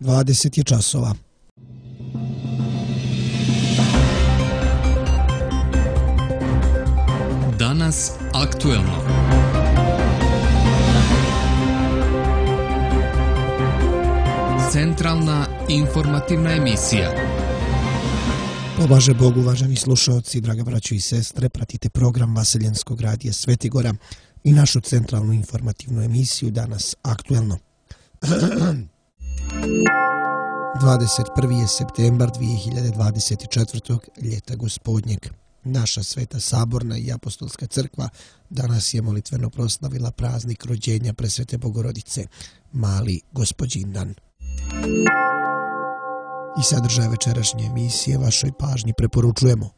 20 je časova. Danas aktuelno. Centralna informativna emisija. Pomaže Bog, uvaženi slušalci, draga braćo i sestre, pratite program Vaseljenskog radija Svetigora i našu centralnu informativnu emisiju Danas aktuelno. 21. je septembar 2024. ljeta gospodnjeg. Naša Sveta Saborna i Apostolska crkva danas je molitveno proslavila praznik rođenja Presvete Bogorodice, Mali Gospođindan. I sadržaj večerašnje emisije vašoj pažnji preporučujemo.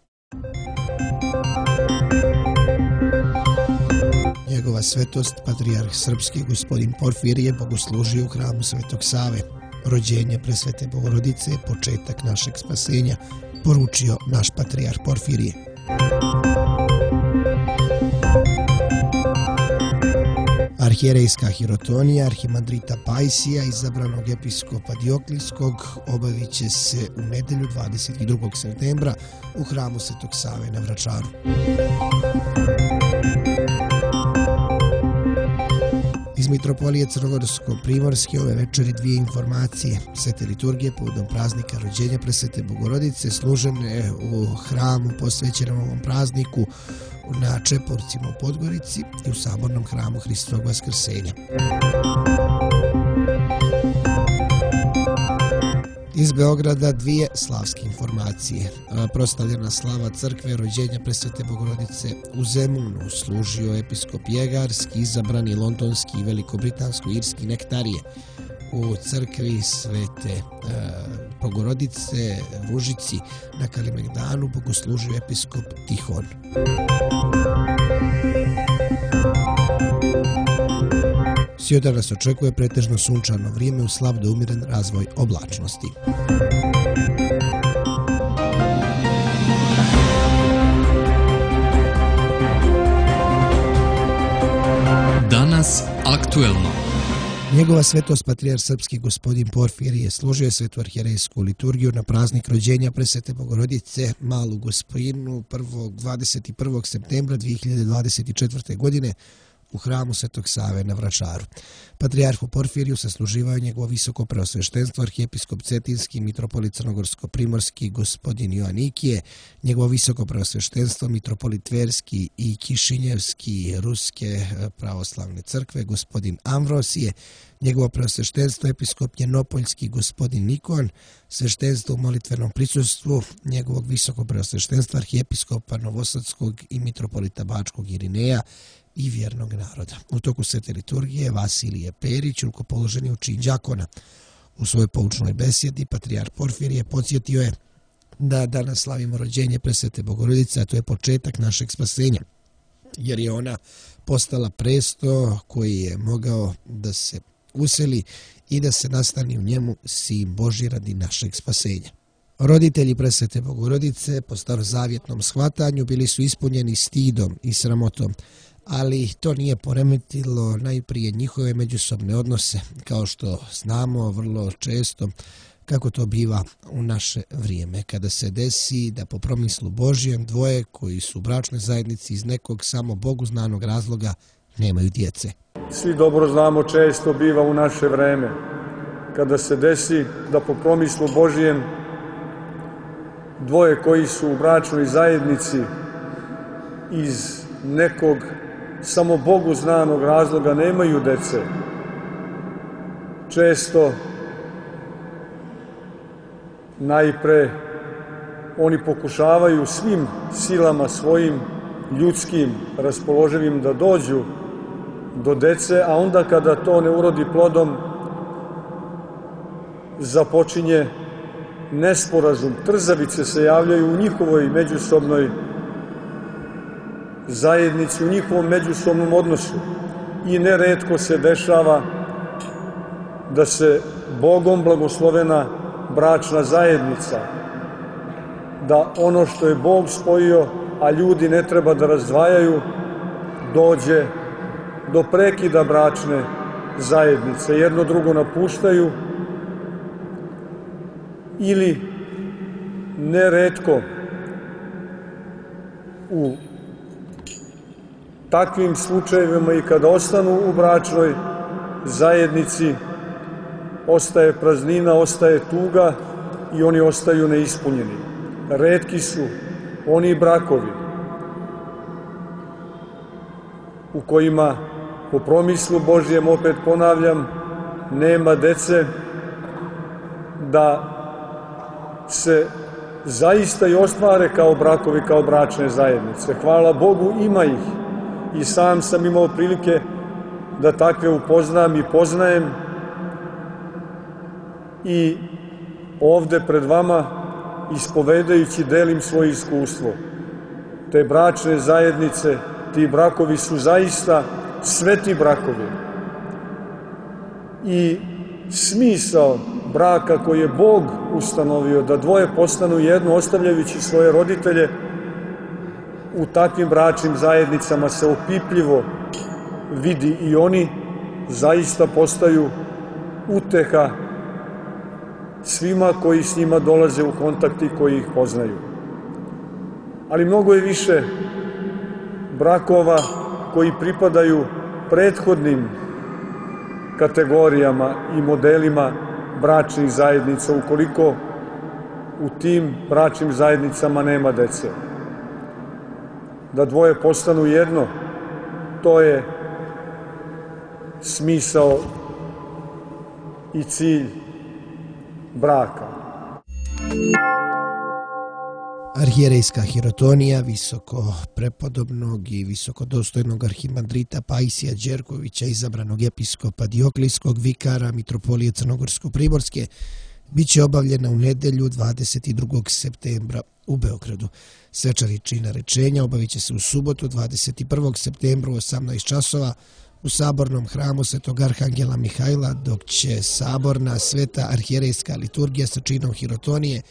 Njegova svetost, patrijarh srpski gospodin Porfirije, bogoslužio u hramu Svetog Save. Rođenje Presvete Bogorodice je početak našeg spasenja, poručio naš patrijarh Porfirije. Arhijerejska hirotonija arhimandrita Pajsija, izabranog episkopa Dioklijskog, obavit će se u nedelju 22. septembra u hramu Svetog Save na Vračaru. Iz Mitropolije Crnogorsko-Primorske ove večeri dvije informacije. Svete liturgije povodom praznika rođenja Presvete Bogorodice služene u hramu posvećenom ovom prazniku na Čeporcima u Podgorici i u Sabornom hramu Hristovog Vaskrsenja. Iz Beograda dvije slavske informacije. Proslavljena slava crkve rođenja Presvete Bogorodice u Zemunu služio episkop Jegarski, izabrani londonski i velikobritansko-irski nektarije. U crkvi Svete Bogorodice u Užici na Kalemegdanu bogoslužio episkop Tihon. Sjoda nas očekuje pretežno sunčano vrijeme u slab do umiren razvoj oblačnosti. Danas aktuelno. Njegova svetost patrijarh srpski gospodin Porfirije složio je svetu arhijerejsku liturgiju na praznik rođenja Presvete Bogorodice Malu Gospojinu 21. septembra 2024. godine u hramu Svetog Save na Vračaru. Patrijarhu Porfiriju sasluživao njegovo visoko preosveštenstvo arhijepiskop Cetinski, mitropolit Crnogorsko-Primorski gospodin Joanikije, njegovo visoko preosveštenstvo mitropolit Tverski i Kišinjevski Ruske pravoslavne crkve gospodin Amvrosije, njegovo preosveštenstvo episkop Njenopoljski gospodin Nikon, sveštenstvo u molitvenom prisustvu njegovog visoko preosveštenstva arhijepiskopa Novosadskog i mitropolita Bačkog Irineja i vjernog naroda. U toku svete liturgije Vasilije Perić rukopoloženi u čin đakona. U svojoj poučnoj besjedi patrijarh Porfirije podsjetio je da danas slavimo rođenje Presvete Bogorodice, a to je početak našeg spasenja, jer je ona postala presto koji je mogao da se useli i da se nastani u njemu sin Božji radi našeg spasenja. Roditelji Presvete Bogorodice po starozavjetnom shvatanju bili su ispunjeni stidom i sramotom, ali to nije poremetilo najprije njihove međusobne odnose, kao što znamo vrlo često kako to biva u naše vrijeme, kada se desi da po promislu Božjem dvoje koji su u bračnoj zajednici iz nekog samo Bogu znanog razloga nemaju djece. Svi dobro znamo, često biva u naše vreme, kada se desi da po promislu Božjem dvoje koji su u bračnoj zajednici iz nekog samo Bogu znanog razloga nemaju dece. Često najpre oni pokušavaju svim silama svojim ljudskim raspoloživim da dođu do dece, a onda kada to ne urodi plodom započinje nesporazum. Trzavice se javljaju u njihovoj međusobnoj zajednici, u njihovom međusobnom odnosu i neretko se dešava da se Bogom blagoslovena bračna zajednica, da ono što je Bog spojio, a ljudi ne treba da razdvajaju, dođe do prekida bračne zajednice. Jedno drugo napuštaju ili neretko u takvim slučajevima i kada ostanu u bračnoj zajednici ostaje praznina, ostaje tuga i oni ostaju neispunjeni. Retki su oni brakovi u kojima, po promislu Božjem, opet ponavljam, nema dece, da se zaista i ostvare kao brakovi, kao bračne zajednice. Hvala Bogu, ima ih. I sam sam imao prilike da takve upoznam i poznajem. I ovde pred vama, ispovedajući, delim svoje iskustvo. Te bračne zajednice, ti brakovi su zaista sveti brakovi. I smisao braka koji je Bog ustanovio, da dvoje postanu jedno, ostavljajući svoje roditelje, u takvim bračnim zajednicama se opipljivo vidi i oni zaista postaju uteha svima koji s njima dolaze u kontakt i koji ih poznaju. Ali mnogo je više brakova koji pripadaju prethodnim kategorijama i modelima bračnih zajednica, ukoliko u tim bračnim zajednicama nema dece. Da dvoje postanu jedno, to je smisao i cilj braka. Arhijerejska hirotonija visoko prepodobnog i visokodostojnog arhimandrita Pajsija Đerkovića, izabranog episkopa Dioklijskog, vikara Mitropolije Crnogorsko-primorske, bit će obavljena u nedelju 22. septembra u Beogradu. Svečar i čina rečenja obavit će se u subotu 21. septembra u 18 časova u sabornom hramu Svetog Arhangela Mihajla, dok će saborna sveta arhijerejska liturgija sa činom hirotonije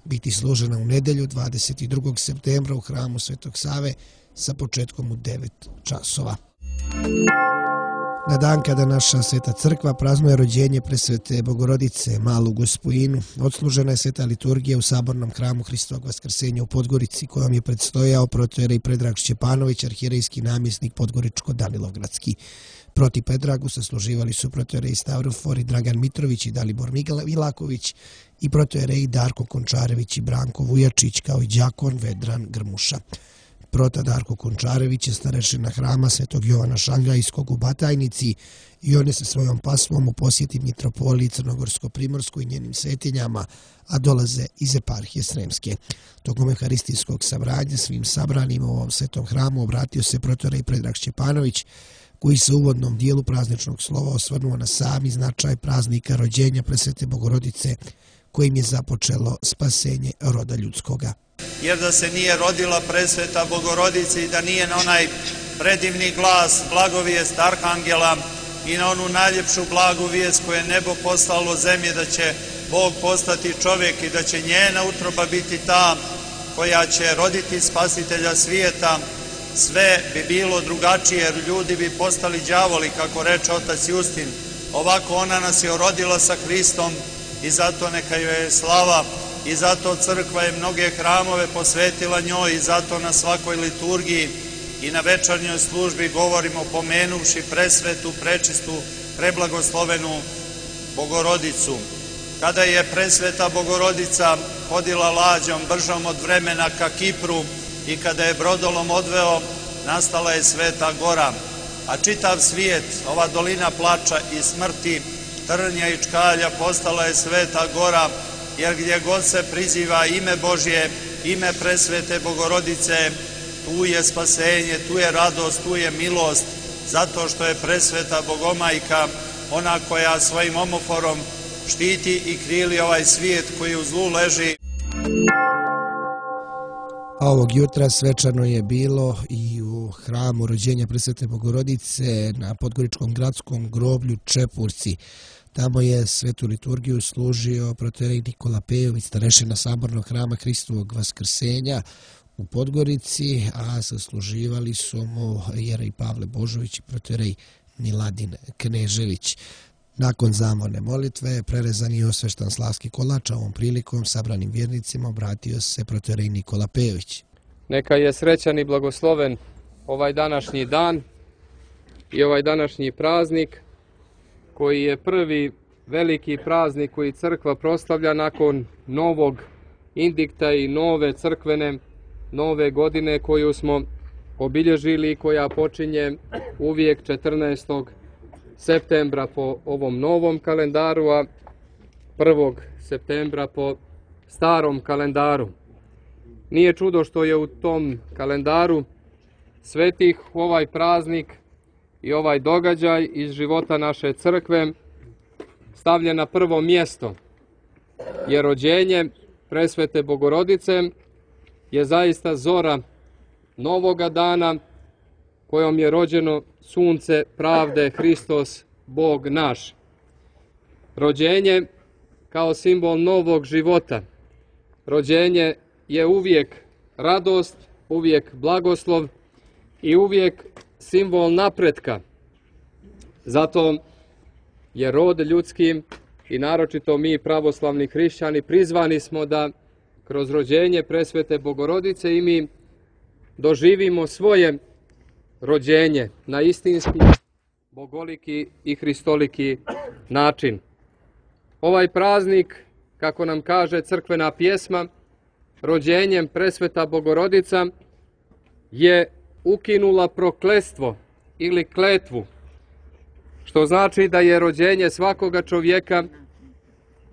biti služena u nedelju 22. septembra u hramu Svetog Save sa početkom u 9 časova. Na dan kada naša Sveta Crkva praznuje rođenje presvete Bogorodice Malu Gospojinu, odslužena je sveta liturgija u sabornom hramu Hristovog Vaskrsenja u Podgorici, kojom je predstojao protoijerej Predrag Šćepanović, arhijerejski namjesnik Podgoričko-Danilovgradski. Proti Predragu sasluživali su protoijerej Stavrofor i Dragan Mitrović i Dalibor Milaković i protoijerej Darko Končarević i Branko Vujačić, kao i đakon Vedran Grmuša. Prota Darko Končarević je starešina hrama Svetog Jovana Šangajskog u Batajnici i on je sa svojom pasvom u posjeti Mitropoliji Crnogorsko-primorskoj i njenim svetinjama, a dolaze iz eparhije Sremske. Tokom euharistijskog sabranja svim sabranima u ovom svetom hramu obratio se protoijerej Predrag Šćepanović, koji se u uvodnom dijelu prazničnog slova osvrnuo na sami značaj praznika rođenja presvete Bogorodice, kojim je započelo spasenje roda ljudskoga. Jer da se nije rodila presveta Bogorodica i da nije na onaj predivni glas blagovijest Arhangela i na onu najljepšu blagu vijest koju je nebo poslalo zemlje, da će Bog postati čovjek i da će njena utroba biti ta koja će roditi spasitelja svijeta, sve bi bilo drugačije, jer ljudi bi postali đavoli, kako reče otac Justin. Ovako ona nas je rodila sa Hristom i zato neka joj je slava. I zato crkva je mnoge hramove posvetila njoj i zato na svakoj liturgiji i na večernjoj službi govorimo pomenuvši presvetu, prečistu, preblagoslovenu Bogorodicu. Kada je presveta Bogorodica hodila lađom bržom od vremena ka Kipru i kada je brodolom odveo, nastala je Sveta Gora. A čitav svijet, ova dolina plača i smrti, trnja i čkalja, postala je Sveta Gora, jer gdje god se priziva ime Božje, ime presvete Bogorodice, tu je spasenje, tu je radost, tu je milost, zato što je presveta Bogomajka, ona koja svojim omoforom štiti i krili ovaj svijet koji u zlu leži. A ovog jutra svečano je bilo i u hramu rođenja presvete Bogorodice na Podgoričkom gradskom groblju Čepurci. Tamo je svetu liturgiju služio protoijerej Nikola Pejović, starešina sabornog hrama Hristovog Vaskrsenja u Podgorici, a sasluživali su mu jerej Pavle Božović i protoijerej Miladin Knežević. Nakon zamorne molitve, prerezan je osveštan slavski kolač, a ovom prilikom sabranim vjernicima obratio se protorej Nikola Pejović. Neka je srećan i blagosloven ovaj današnji dan i ovaj današnji praznik, koji je prvi veliki praznik koji crkva proslavlja nakon novog indikta i nove crkvene nove godine koju smo obilježili i koja počinje uvijek 14. septembra po ovom novom kalendaru, a 1. septembra po starom kalendaru. Nije čudo što je u tom kalendaru svetih ovaj praznik i ovaj događaj iz života naše crkve stavljen na prvo mjesto, jer rođenje Presvete Bogorodice je zaista zora novoga dana kojom je rođeno sunce pravde, Hristos, Bog naš. Rođenje kao simbol novog života. Rođenje je uvijek radost, uvijek blagoslov i uvijek simbol napretka. Zato je rod ljudski i naročito mi pravoslavni hrišćani prizvani smo da kroz rođenje Presvete Bogorodice i mi doživimo svoje rođenje na istinski, bogoliki i hristoliki način. Ovaj praznik, kako nam kaže crkvena pjesma, rođenjem Presveta Bogorodica je ukinula prokletstvo ili kletvu, što znači da je rođenje svakoga čovjeka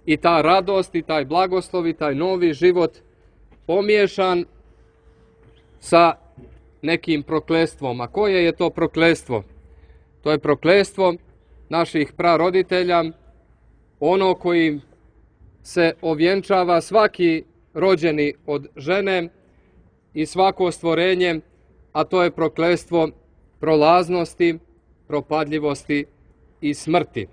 i ta radost i taj blagoslov i taj novi život pomiješan sa nekim prokletstvom. A koje je to prokletstvo? To je prokletstvo naših praroditelja, ono koji se ovjenčava svaki rođeni od žene i svako stvorenje, a to je prokletstvo prolaznosti, propadljivosti i smrti.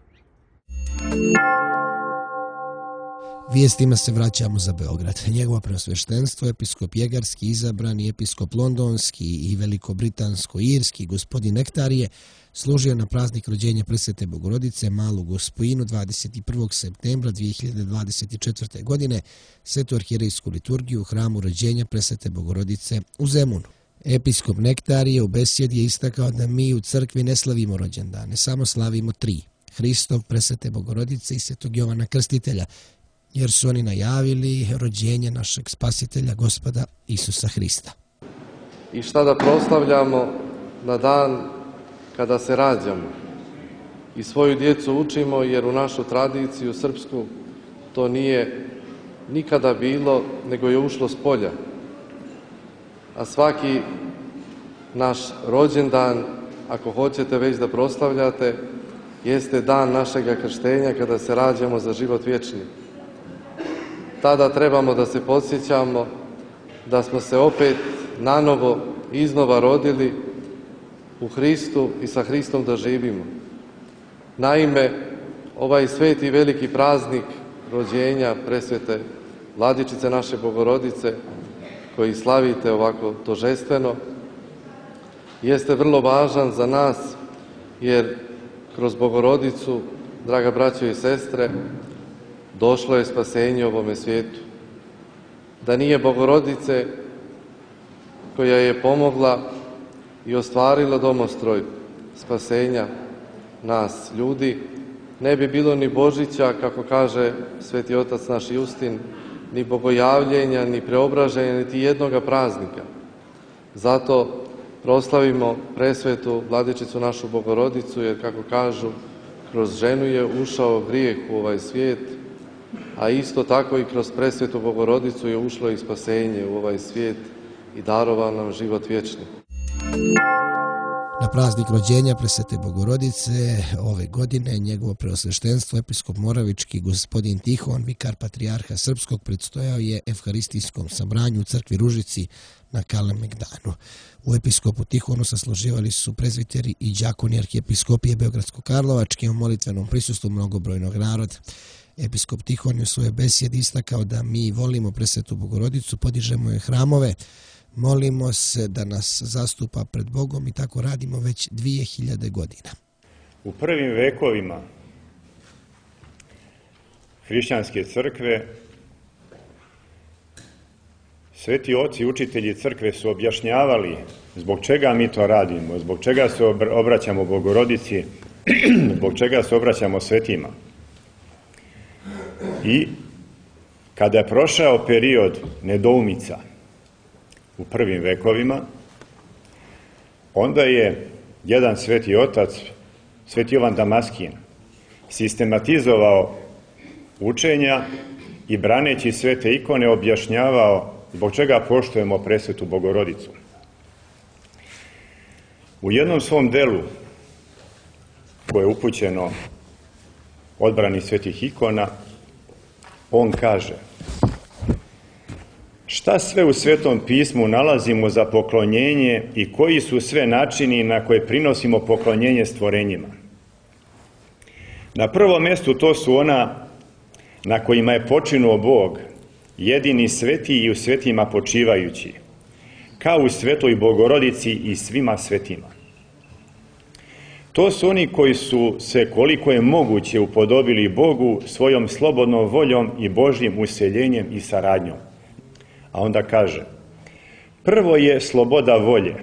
Vijestima se vraćamo za Beograd. Njegovo preosveštenstvo, episkop Jegarski, izabrani episkop Londonski i Veliko-Britansko-Irski gospodin Nektarije, služio na praznik rođenja Presvete Bogorodice Malu Gospojinu 21. septembra 2024. godine svetu arhijerejsku liturgiju u hramu rođenja Presvete Bogorodice u Zemunu. Episkop Nektarije u besjedi je istakao da mi u crkvi ne slavimo rođendane, samo slavimo tri: Hristov, Presvete Bogorodice i Svetog Jovana Krstitelja, jer su oni najavili rođenje našeg spasitelja, Gospoda Isusa Hrista. I šta da proslavljamo na dan kada se rađamo i svoju djecu učimo, jer u našu tradiciju srpsku to nije nikada bilo, nego je ušlo s polja. A svaki naš rođendan, ako hoćete već da proslavljate, jeste dan našega krštenja kada se rađamo za život vječni. Tada trebamo da se podsjećamo da smo se opet nanovo iznova rodili u Hristu i sa Hristom da živimo. Naime, ovaj sveti veliki praznik rođenja Presvete Vladičice naše Bogorodice, koji slavite ovako tožestveno, jeste vrlo važan za nas, jer kroz Bogorodicu, draga braćo i sestre, došlo je spasenje ovome svijetu. Da nije Bogorodice koja je pomogla i ostvarila domostroj spasenja nas ljudi, ne bi bilo ni Božića, kako kaže sveti otac naš Justin, ni bogojavljenja, ni preobraženja, niti jednoga praznika. Zato proslavimo Presvetu Vladičicu našu Bogorodicu, jer kako kažu, kroz ženu je ušao grijeh u ovaj svijet, a isto tako i kroz Presvetu Bogorodicu je ušlo i spasenje u ovaj svijet i darovao nam život vječni. Na praznik rođenja Presvete Bogorodice ove godine njegovo preosveštenstvo episkop Moravički gospodin Tihon, vikar patrijarha srpskog, predstojao je evharistijskom sabranju u crkvi Ružici na Kalemegdanu. U episkopu Tihonu sasluživali su prezviteri i đakoni arhijepiskopije Beogradsko-Karlovačke u molitvenom prisustvu mnogobrojnog naroda. Episkop Tihon je u svojoj besjedi istakao da mi volimo Presvetu Bogorodicu, podižemo je hramove, molimo se da nas zastupa pred Bogom i tako radimo već 2000 godina. U prvim vekovima hrišćanske crkve, sveti oci, učitelji crkve su objašnjavali zbog čega mi to radimo, zbog čega se obraćamo Bogorodici, zbog čega se obraćamo svetima. I kada je prošao period nedoumica u prvim vekovima, onda je jedan sveti otac, sveti Jovan Damaskin, sistematizovao učenja i braneći svete ikone objašnjavao zbog čega poštujemo presvetu Bogorodicu. U jednom svom delu, koje je upućeno odbrani svetih ikona, on kaže: šta sve u Svetom pismu nalazimo za poklonjenje i koji su sve načini na koje prinosimo poklonjenje stvorenjima? Na prvom mjestu to su ona na kojima je počinuo Bog, jedini sveti i u svetima počivajući, kao u svetoj Bogorodici i svima svetima. To su oni koji su se koliko je moguće upodobili Bogu svojom slobodnom voljom i Božjim useljenjem i saradnjom. A onda kaže: prvo je sloboda volje,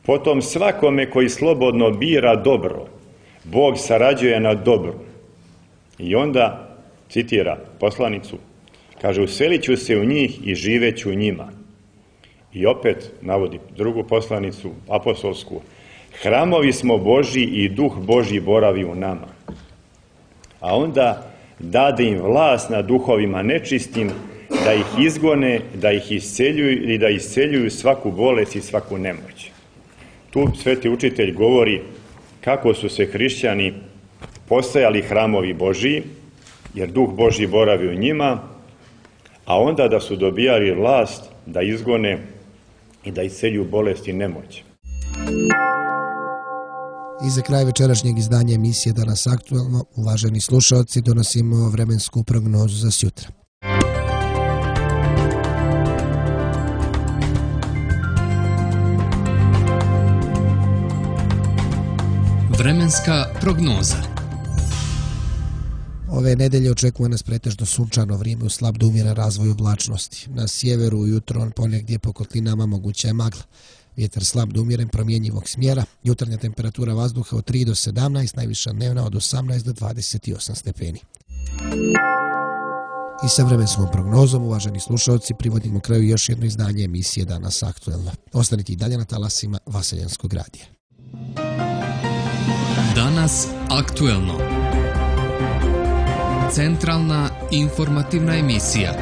potom svakome koji slobodno bira dobro, Bog sarađuje na dobru. I onda citira poslanicu, kaže: uselit ću se u njih i živeću u njima. I opet navodi drugu poslanicu, apostolsku: hramovi smo Božji i duh Božji boravi u nama. A onda dade im vlast nad duhovima nečistim, da ih izgone, da ih isceljuju i da isceljuju svaku bolest i svaku nemoć. Tu sveti učitelj govori kako su se hrišćani postajali hramovi Božji, jer duh Božji boravi u njima, a onda da su dobijali vlast da izgone i da isceljuju bolest i nemoć. I za kraj večerašnjeg izdanja emisije Danas aktuelno, uvaženi slušalci, donosimo vremensku prognozu za sjutra. Vremenska prognoza. Ove nedelje očekuje nas pretežno sunčano vrijeme uz slab do umjeren razvoj oblačnosti. Na sjeveru ujutro ponegdje po kotlinama moguća je magla. Vjetar slab do umjeren promjenjivog smjera. Jutarnja temperatura vazduha od 3 do 17, najviša dnevna od 18 do 28 stepeni. I sa vremenskom prognozom, uvaženi slušalci, privodimo kraju još jedno izdanje emisije Danas aktuelno. Ostanite i dalje na talasima Vaseljanskog radija. Danas aktuelno. Centralna informativna emisija.